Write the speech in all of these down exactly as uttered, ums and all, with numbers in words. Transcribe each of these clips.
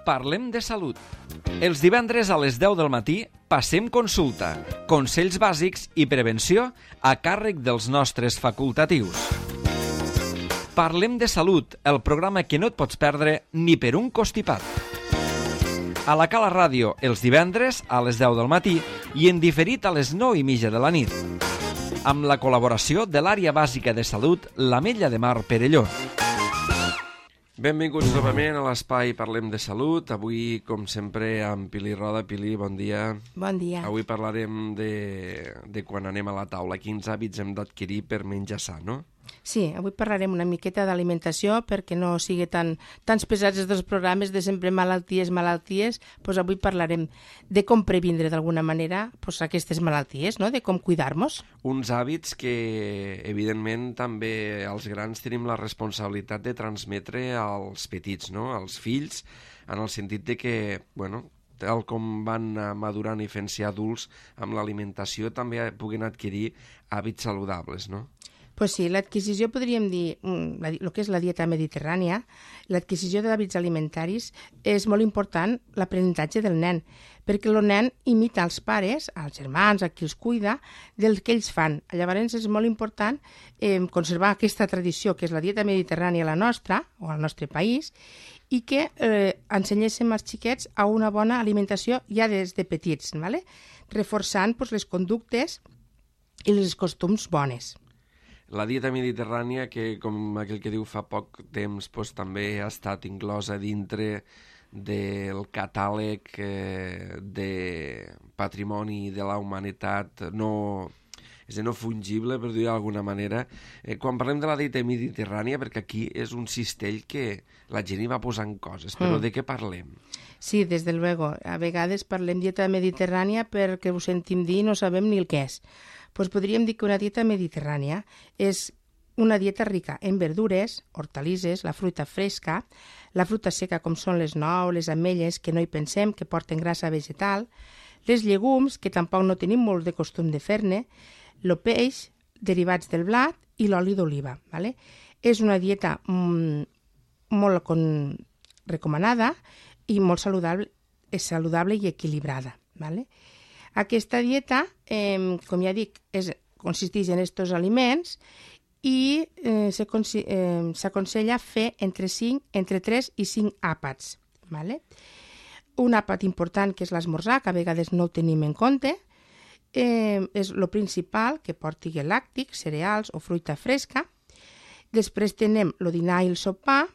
Parlem de salut. Els divendres a les deu del matí passem consulta, consells bàsics i prevenció a càrrec dels nostres facultatius. Parlem de salut, el programa que no et pots perdre ni per un costipat. A la Cala Ràdio, els divendres a les deu del matí i en diferit a les nou i mitja de la nit. Amb la col·laboració de l'Àrea Bàsica de Salut, l'Ametlla de Mar Perelló. Benvinguts novament a l'espai Parlem de Salut. Avui, com sempre, amb Pili Roda. Pili, bon dia. Bon dia. Avui parlarem de, de quan anem a la taula. Quins hàbits hem d'adquirir per menjar sa, no? Sí, avui parlarem una miqueta d'alimentació perquè no sigui tan tants pesats els dos programes de sempre malalties, malalties. Pues avui parlarem de com previndre d'alguna manera pues, aquestes malalties, no? De com cuidar-nos. Uns hàbits que, evidentment, també els grans tenim la responsabilitat de transmetre als petits, no? Als fills, en el sentit de que, bueno, tal com van madurant i fent-se adults amb l'alimentació, també puguen adquirir hàbits saludables, no? Pues sí, l'adquisició, podríem dir, el que és la dieta mediterrània, l'adquisició d'hàbits alimentaris és molt important l'aprenentatge del nen, perquè el nen imita els pares, als germans, a qui els cuida, del que ells fan. Llavors és molt important eh, conservar aquesta tradició, que és la dieta mediterrània, la nostra, o al nostre país, i que eh, ensenyéssim als xiquets a una bona alimentació ja des de petits, ¿vale? Reforçant pues, les conductes i els costums bones. La dieta mediterrània, que com aquell que diu fa poc temps, doncs, també ha estat inclosa dintre del catàleg eh, de patrimoni de la humanitat no, és a dir, no fungible, per dir d'alguna manera. Eh, quan parlem de la dieta mediterrània, perquè aquí és un cistell que la gent hi va posant coses, però mm. de què parlem? Sí, des de luego. A vegades parlem dieta mediterrània perquè ho sentim dir i no sabem ni el que és. Pues podríem dir que una dieta mediterrània és una dieta rica en verdures, hortalisses, la fruita fresca, la fruita seca com són les nous, les ametlles, que no hi pensem, que porten grassa vegetal, les llegums, que tampoc no tenim molt de costum de fer-ne, el peix, derivats del blat i l'oli d'oliva. ¿Vale? És una dieta mm, molt con... recomanada i molt saludable, és saludable i equilibrada. ¿Vale? Aquesta dieta, eh, com ja dic, és, consisteix en aquests aliments i eh, s'aconsella fer entre, cinc, entre tres i cinc àpats. ¿Vale? Un àpat important, que és l'esmorzar, que a vegades no el tenim en compte, eh, és el principal, que porti làctics, cereals o fruita fresca. Després tenem el dinar i el sopar,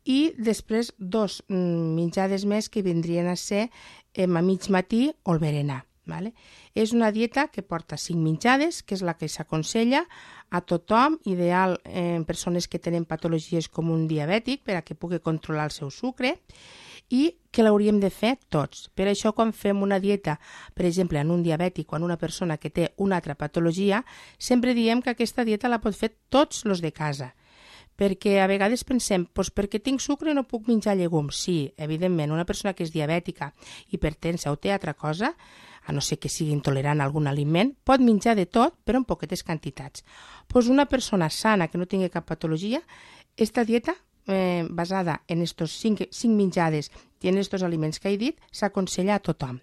i després dos menjades més que vindrien a ser eh, a mig matí o el berenar. ¿Vale? És una dieta que porta cinc menjades, que és la que s'aconsella a tothom, ideal en persones que tenen patologies com un diabètic, per a que pugui controlar el seu sucre, i que l'hauríem de fer tots. Per això, quan fem una dieta, per exemple, en un diabètic o en una persona que té una altra patologia, sempre diem que aquesta dieta la pot fer tots els de casa. Perquè a vegades pensem, doncs perquè tinc sucre no puc menjar llegums. Sí, evidentment, una persona que és diabètica, hipertensa o té altra cosa, a no ser que sigui intolerant a algun aliment, pot menjar de tot, però en poquetes quantitats. Doncs una persona sana que no tingui cap patologia, aquesta dieta, eh, basada en aquests cinc, cinc menjades i en aquests aliments que he dit, s'aconsella a tothom.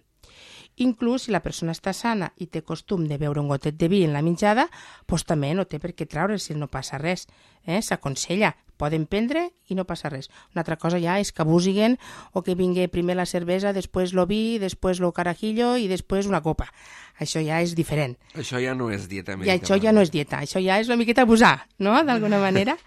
Inclús si la persona està sana i té costum de beure un gotet de vi en la menjada, doncs també no té per què treure si no passa res. Eh? S'aconsella, poden prendre i no passa res. Una altra cosa ja és que abusiguen o que vingui primer la cervesa, després el vi, després el carajillo i després una copa. Això ja és diferent. Això ja no és dieta mediterrània. I això ja no és dieta, això ja és una miqueta abusar, no?, d'alguna manera.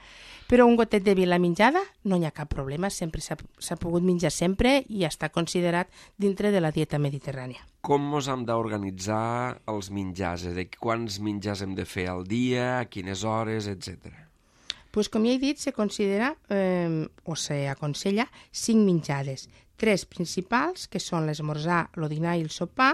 Però un gotet de vi a la menjada no hi ha cap problema, sempre s'ha pogut menjar sempre i està considerat dintre de la dieta mediterrània. Com ens hem d'organitzar els menjars? De quants menjars hem de fer al dia, a quines hores, etcètera? Pues com ja he dit, se considera eh, o s'aconsella cinc menjades. Tres principals, que són l'esmorzar, el dinar i el sopar,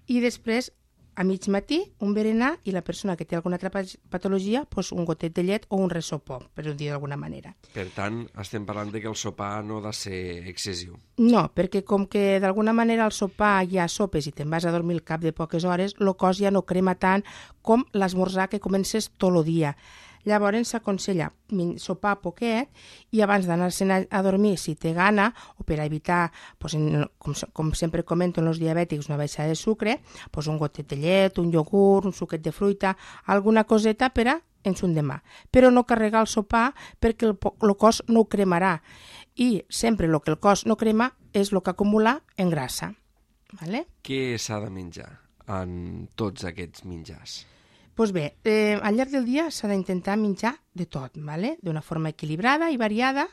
i després a mig matí, un berenar, i la persona que té alguna altra patologia, doncs un gotet de llet o un ressopó, per dir d'alguna manera. Per tant, estem parlant de que el sopar no ha de ser excessiu. No, perquè com que d'alguna manera al sopar ja sopes i te'n vas a dormir al cap de poques hores, el cos ja no crema tant com l'esmorzar que comences tot el dia. Llavors s'aconsella sopar poquet i abans d'anar-se'n a dormir, si té gana, o per evitar, pues, en, com, com sempre comento en els diabètics, una baixada de sucre, pues, un gotet de llet, un iogurt, un suquet de fruita, alguna coseta per a en son demà. Però no carregar el sopar perquè el, el cos no ho cremarà. I sempre el que el cos no crema és el que acumula en grassa. Vale? Què s'ha de menjar en tots aquests menjars? Doncs bé, eh, al llarg del dia s'ha d'intentar menjar de tot, vale? D'una forma equilibrada i variada,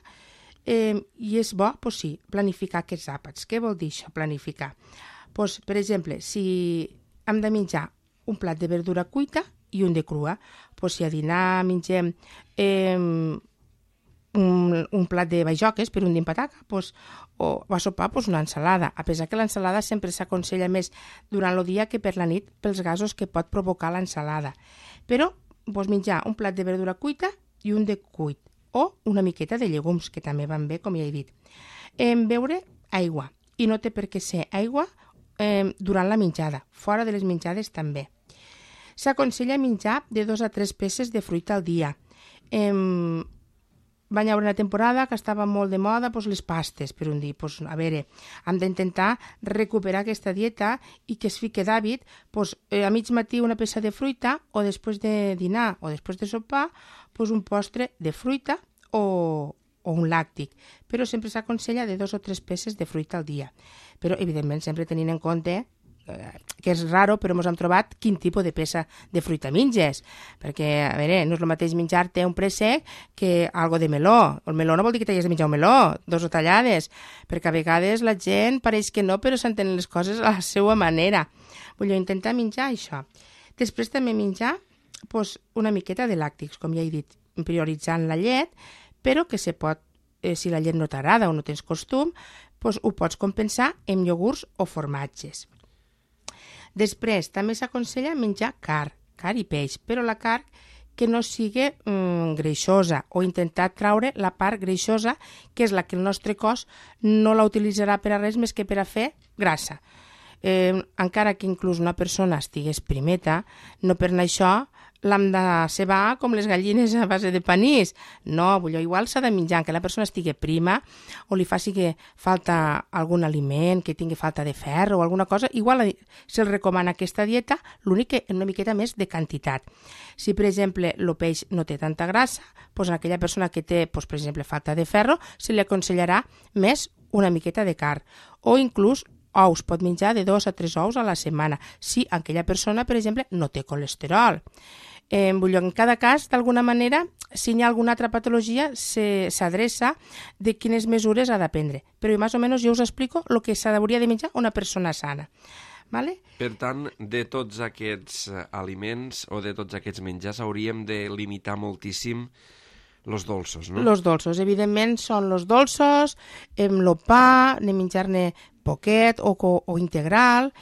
eh, i és bo, pues sí, planificar aquests àpats. Què vol dir això, planificar? Pues, per exemple, si hem de menjar un plat de verdura cuita i un de crua, pues si a dinar mengem eh, un, un plat de bajoques per un d'impataca, pues, o a sopar pues, una ensalada, a pesar que l'ensalada sempre s'aconsella més durant el dia que per la nit pels gasos que pot provocar l'ensalada. Però pues, menjar un plat de verdura cuita i un de cuit, o una miqueta de llegums, que també van bé, com ja he dit. Eh, beure aigua, i no té per què ser aigua eh, durant la menjada, fora de les menjades també. S'aconsella menjar de dos a tres peces de fruita al dia. Eh, Va haver una temporada que estava molt de moda doncs, les pastes, per un dir. Doncs, a veure, hem d'intentar recuperar aquesta dieta i que es fique d'hàbit doncs, a mig matí una peça de fruita o després de dinar o després de sopar doncs, un postre de fruita o, o un làctic. Però sempre s'aconsella de dos o tres peces de fruita al dia. Però, evidentment, sempre tenint en compte que és raro, però ens hem trobat quin tipus de peça de fruita menges, perquè, a veure, no és el mateix menjar-te un préssec que algo de meló. El meló no vol dir que t'hagis de menjar un meló, dos o tallades, perquè a vegades la gent pareix que no, però s'entenen les coses a la seva manera. Vull intentar menjar això. Després també menjar pues, una miqueta de làctics, com ja he dit, prioritzant la llet, però que se pot, eh, si la llet no t'agrada o no tens costum, pues, ho pots compensar amb iogurts o formatges. Després, també s'aconsella menjar carn, carn i peix, però la carn que no sigui mm, greixosa o intentar traure la part greixosa, que és la que el nostre cos no la utilitzarà per a res més que per a fer grassa. Eh, encara que inclús una persona estigués primeta, no per anar això l'hem de cebar com les gallines a base de panís. No, vull dir, igual s'ha de menjar, que la persona estigui prima o li faci que falta algun aliment, que tingui falta de ferro o alguna cosa, igual se'l recomana aquesta dieta, l'únic que una miqueta més de quantitat. Si, per exemple, el peix no té tanta grassa, doncs a aquella persona que té, doncs, per exemple, falta de ferro, se li aconsellarà més una miqueta de carn. O inclús ous, pot menjar de dos a tres ous a la setmana, si aquella persona, per exemple, no té colesterol. Eh, vull dir, en cada cas, d'alguna manera, si hi ha alguna altra patologia, s'adreça de quines mesures ha de prendre. Però més o menys jo us explico el que s'hauria de menjar una persona sana. Vale? Per tant, de tots aquests aliments o de tots aquests menjars hauríem de limitar moltíssim los dolços, no? Los dolços, evidentment, són los dolços, el pa, de menjar-ne poquet o, o integral,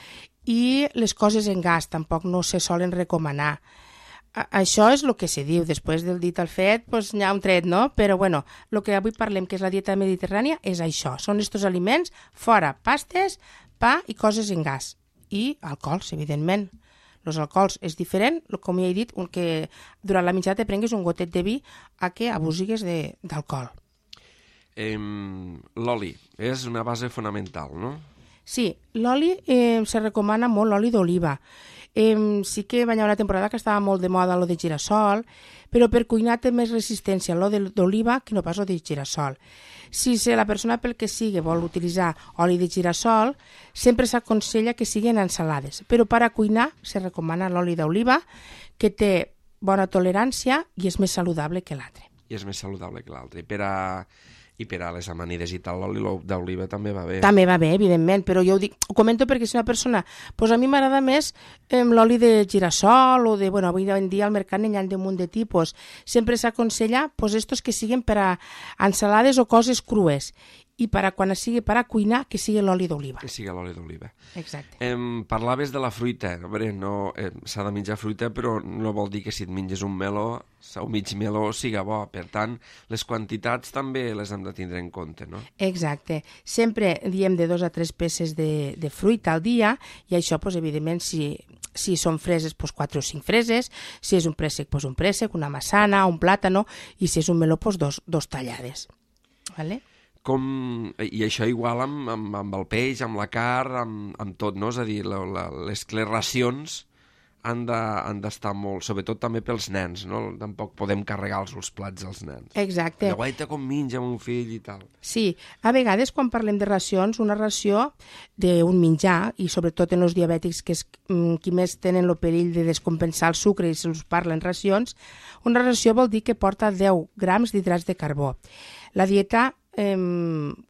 i les coses en gas tampoc no se solen recomanar. Això és el que se diu, després del dit al fet, doncs n'hi ha un tret, no? Però, bueno, el que avui parlem, que és la dieta mediterrània, és això. Són estos aliments, fora pastes, pa i coses en gas. I alcohols, evidentment. Els alcohols és diferent, com ja he dit, que durant la menjada te prenguis un gotet de vi a que abusigues d'alcohol. Eh, l'oli és una base fonamental, no? Sí, l'oli eh, se recomana molt l'oli d'oliva. Eh, sí que va haver una temporada que estava molt de moda lo de girassol, però per cuinar té més resistència l'oli d'oliva que no pas lo de girassol. Si la persona pel que sigui vol utilitzar oli de girassol, sempre s'aconsella que siguin ensalades, però per a cuinar se recomana l'oli d'oliva, que té bona tolerància i és més saludable que l'altre. I és més saludable que l'altre. Per a... I per a les amanides i tal, l'oli d'oliva també va bé. També va bé, evidentment, però jo ho, dic, ho comento perquè si una persona... Doncs a mi m'agrada més eh, l'oli de girassol o de... Bueno, avui en dia al mercat n'hi ha un munt de tipus. Sempre s'aconsella doncs, estos que siguin per a ensalades o coses crues. I per a quan sigui per a cuinar, que sigui l'oli d'oliva. Que sigui l'oli d'oliva. Exacte. Em parlaves de la fruita. A veure, no, eh, s'ha de menjar fruita, però no vol dir que si et menges un meló, o mig meló, siga bo. Per tant, les quantitats també les hem de tindre en compte, no? Exacte. Sempre diem de dos a tres peces de, de fruita al dia, i això, doncs, evidentment, si si són freses, doncs quatre o cinc freses, si és un préssec, doncs un préssec, una massana, un plàtano, i si és un meló, doncs dos, dos tallades. Vale? Com... I això igual amb, amb, amb el peix, amb la carn, amb, amb tot, no? És a dir, la, la, les, les racions han de, han d'estar molt, sobretot també pels nens, no? Tampoc podem carregar-los els plats als nens. Exacte. Guaita com menja mon fill i tal. Sí, a vegades quan parlem de racions, una ració d'un menjar, i sobretot en els diabètics, que és qui més tenen el perill de descompensar el sucre i se'ls parla en racions, una ració vol dir que porta deu grams d'hidrats de carbó. La dieta eh,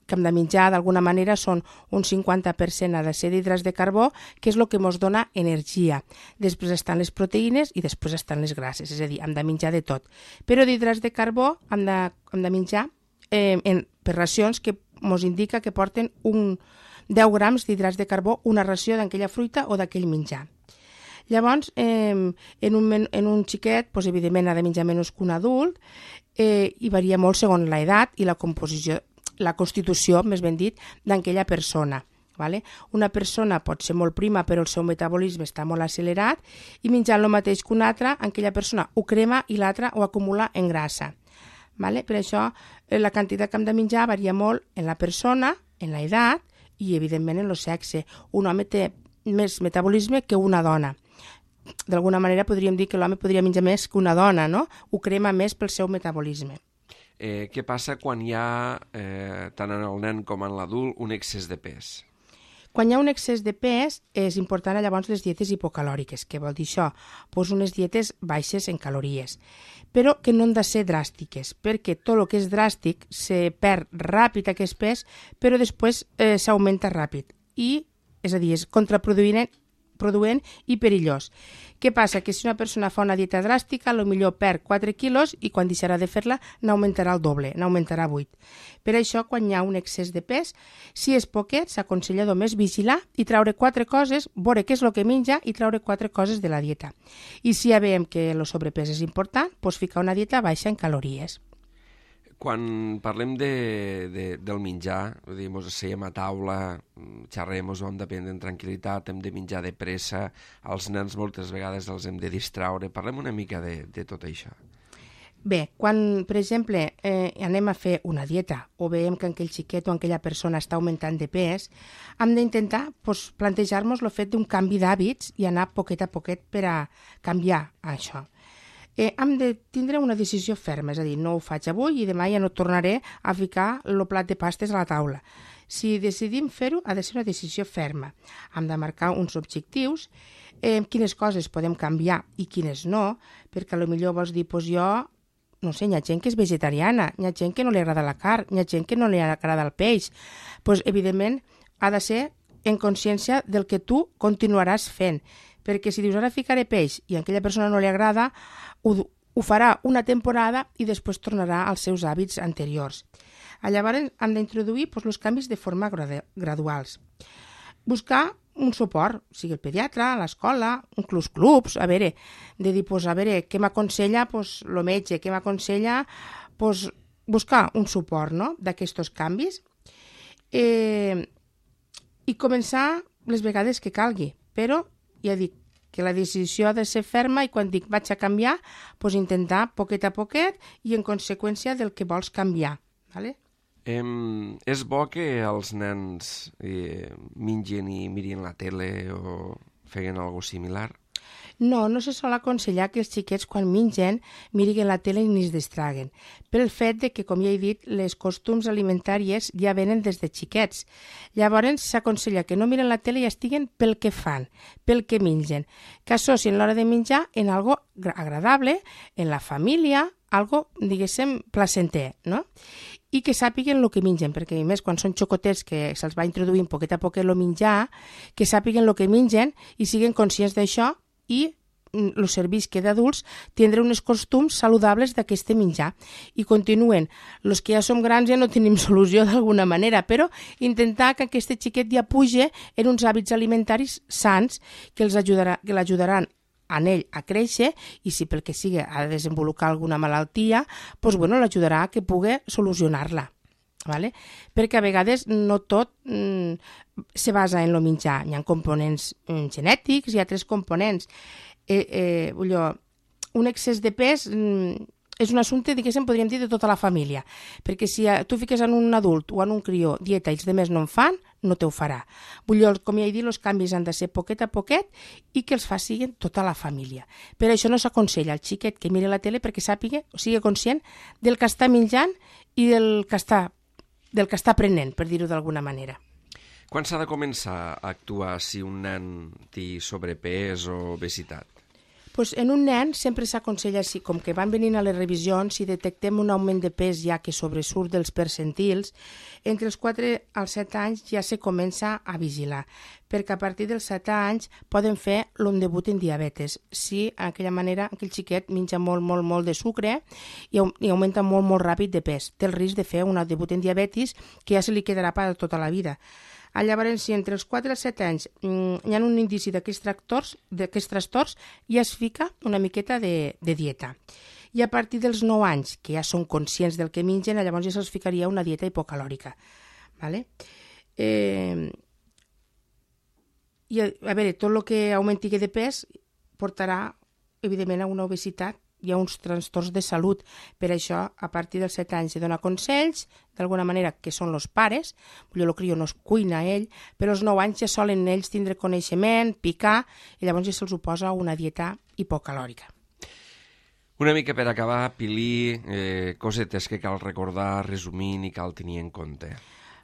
que hem de menjar d'alguna manera són un cinquanta per cent ha de ser d'hidrats de carbó, que és el que ens dona energia. Després estan les proteïnes i després estan les grasses, és a dir, hem de menjar de tot. Però d'hidrats de carbó hem de, hem de menjar eh, en, per racions que ens indica que porten un deu grams d'hidrats de carbó una ració d'aquella fruita o d'aquell menjar. Llavors, eh, en, un, en un xiquet, doncs, evidentment, ha de menjar menys que un adult, eh, i varia molt segons l'edat i la composició, la constitució, més ben dit, d'aquella persona. Vale? Una persona pot ser molt prima, però el seu metabolisme està molt accelerat, i menjant el mateix que una altra, aquella persona ho crema i l'altra ho acumula en grassa. Vale? Per això, la quantitat que hem de menjar varia molt en la persona, en l'edat i, evidentment, en el sexe. Un home té més metabolisme que una dona. D'alguna manera podríem dir que l'home podria menjar més que una dona, no? Ho crema més pel seu metabolisme. Eh, què passa quan hi ha, eh, tant en el nen com en l'adult, un excés de pes? Quan hi ha un excés de pes, és important llavors les dietes hipocalòriques. Què vol dir això? Pues unes dietes baixes en calories, però que no han de ser dràstiques, perquè tot el que és dràstic se perd ràpid aquest pes, però després eh, s'augmenta ràpid. I, és a dir, és contraproduent produent i perillós. Què passa? Que si una persona fa una dieta dràstica, potser perd quatre quilos i quan deixarà de fer-la n'augmentarà el doble, n'augmentarà vuit. Per això, quan hi ha un excés de pes, si és poquet, s'aconsella només vigilar i treure quatre coses, veure què és el que menja i treure quatre coses de la dieta. I si ja veiem que el sobrepès és important, doncs ficar una dieta baixa en calories. Quan parlem de, de, del menjar, vull dir, ens asseiem a taula, xerrem, ho hem de prendre en tranquil·litat, hem de menjar de pressa, els nens moltes vegades els hem de distraure. Parlem una mica de, de tot això. Bé, quan, per exemple, eh, anem a fer una dieta o veiem que aquell xiquet o aquella persona està augmentant de pes, hem d'intentar pues, plantejar-nos el fet d'un canvi d'hàbits i anar poquet a poquet per a canviar això. Eh, hem de tindre una decisió ferma, és a dir, no ho faig avui i demà ja no tornaré a ficar el plat de pastes a la taula. Si decidim fer-ho, ha de ser una decisió ferma. Hem de marcar uns objectius, eh, quines coses podem canviar i quines no, perquè potser vols dir, doncs jo, no sé, hi ha gent que és vegetariana, hi ha gent que no li agrada la carn, hi ha gent que no li agrada el peix. Doncs, evidentment, ha de ser en consciència del que tu continuaràs fent, perquè si dius ara ficaré peix i a aquella persona no li agrada, ho, ho farà una temporada i després tornarà als seus hàbits anteriors. Llavors hem d'introduir doncs, els canvis de forma graduals. Buscar un suport, sigui el pediatre, l'escola, inclús clubs, a veure, de dir, doncs, a veure, què m'aconsella doncs, el metge, què m'aconsella doncs, buscar un suport no?, d'aquests canvis eh, i començar les vegades que calgui, però ja dic que la decisió ha de ser ferma i quan dic vaig a canviar, doncs intentar poquet a poquet i en conseqüència del que vols canviar. Vale? Eh, és bo que els nens eh, mengin i mirin la tele o feguen alguna cosa similar? No, no se sol aconsellar que els xiquets quan mengen mirin la tele ni es distraguen, pel fet de que, com ja he dit, les costums alimentàries ja venen des de xiquets. Llavors s'aconsella que no miren la tele i estiguen pel que fan, pel que mengen, que associen l'hora de menjar en algo agradable, en la família, algo, diguéssim, placenter, no? I que sàpiguen el que mengen, perquè a més quan són xocotets que se'ls va introduint poquet a poquet el menjar, que sàpiguen el que mengen i siguin conscients d'això i els serveix que d'adults tindre uns costums saludables d'aquest menjar. I continuen, els que ja som grans ja no tenim solució d'alguna manera, però intentar que aquest xiquet ja puge en uns hàbits alimentaris sants que els ajudarà, que l'ajudaran en ell a créixer i si pel que sigui ha de desenvolupar alguna malaltia, doncs bueno, l'ajudarà a que pugui solucionar-la. Vale? Perquè a vegades no tot mm, se basa en el menjar. Hi ha components mm, genètics i altres components. Eh, eh, allò, un excés de pes mm, és un assumpte, diguéssim, podríem dir, de tota la família. Perquè si tu fiques en un adult o en un crió dieta i els demés no en fan, no te ho farà. Vull dir, com ja he dit, els canvis han de ser poquet a poquet i que els facin tota la família. Per això no s'aconsella al xiquet que miri la tele perquè sàpiga, o sigui conscient del que està menjant i del que està del que està aprenent, per dir-ho d'alguna manera. Quan s'ha de començar a actuar si un nen té sobrepès o obesitat? Pues en un nen sempre s'aconsella, si, com que van venint a les revisions, si detectem un augment de pes ja que sobresurt dels percentils, entre els quatre als set anys ja se comença a vigilar, perquè a partir dels set anys poden fer un debut en diabetes. Si d'aquella manera aquell xiquet menja molt, molt, molt de sucre i, i augmenta molt, molt ràpid de pes. Té el risc de fer un debut en diabetis que ja se li quedarà per tota la vida. Llavors, si entre els quatre i els set anys mm, hi ha un indici d'aquests tractors, d'aquests trastorns, ja es fica una miqueta de, de dieta. I a partir dels nou anys, que ja són conscients del que mengen, llavors ja se'ls ficaria una dieta hipocalòrica. Vale? Eh, I a, a veure, tot el que augmenti de pes portarà, evidentment, a una obesitat. Hi ha uns trastorns de salut. Per això, a partir dels set anys, se dona consells, d'alguna manera, que són els pares. El crió no es cuina ell, però als nou anys ja solen ells tindre coneixement, picar, i llavors ja se'ls posa una dieta hipocalòrica. Una mica per acabar, Pilí, eh, cosetes que cal recordar, resumint i cal tenir en compte.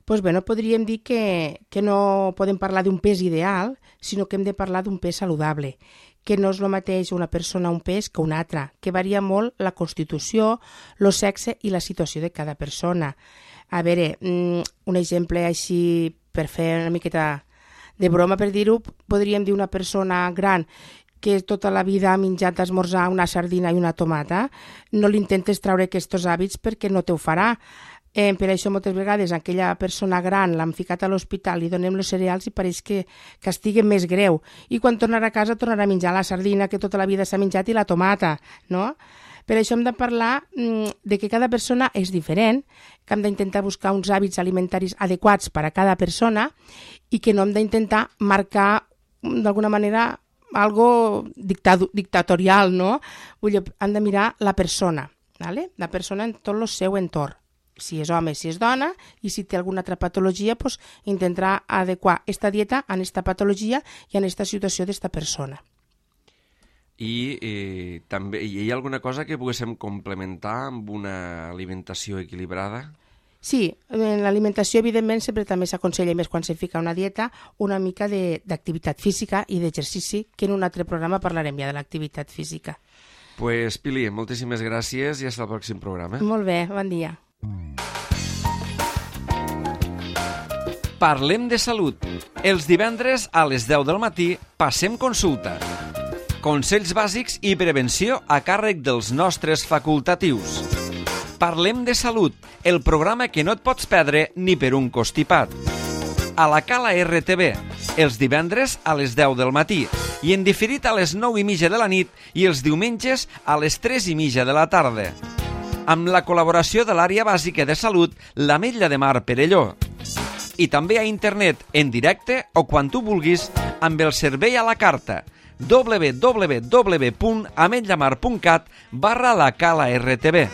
Pues bueno, podríem dir que, que no podem parlar d'un pes ideal, sinó que hem de parlar d'un pes saludable, que no és el mateix una persona un pes que una altra, que varia molt la constitució, el sexe i la situació de cada persona. A veure, un exemple així per fer una miqueta de broma, per dir-ho, podríem dir una persona gran que tota la vida ha menjat d'esmorzar una sardina i una tomata, no li intentes treure aquests hàbits perquè no te ho farà. Eh, per això moltes vegades aquella persona gran l'han ficat a l'hospital, li donem els cereals i pareix que, que estigui més greu. I quan tornarà a casa tornarà a menjar la sardina que tota la vida s'ha menjat i la tomata, no? Per això hem de parlar mm, de que cada persona és diferent, que hem d'intentar buscar uns hàbits alimentaris adequats per a cada persona i que no hem d'intentar marcar d'alguna manera algo dictado, dictatorial, no? Vull dir, hem de mirar la persona, ¿vale? La persona en tot el seu entorn. Si és home, si és dona, i si té alguna altra patologia, pues, intentarà adequar esta dieta a esta patologia i a esta situació d'esta persona. I eh, també hi ha alguna cosa que poguéssim complementar amb una alimentació equilibrada? Sí, en l'alimentació, evidentment, sempre també s'aconsella, més quan se fica una dieta, una mica d'activitat física i d'exercici, que en un altre programa parlarem ja de l'activitat física. Pues, Pili, moltíssimes gràcies i fins al pròxim programa. Molt bé, bon dia. Parlem de salut. Els divendres a les deu del matí passem consulta. Consells bàsics i prevenció a càrrec dels nostres facultatius. Parlem de salut, el programa que no et pots perdre ni per un constipat. A la Cala R T V, els divendres a les deu del matí i en diferit a les nou i mitja de la nit i els diumenges a les tres i mitja de la tarda. Amb la col·laboració de l'àrea bàsica de salut, l'Ametlla de Mar Perelló. I també a internet, en directe o quan tu vulguis, amb el servei a la carta w w w punt ametllamar punt cat barra la Cala R T V.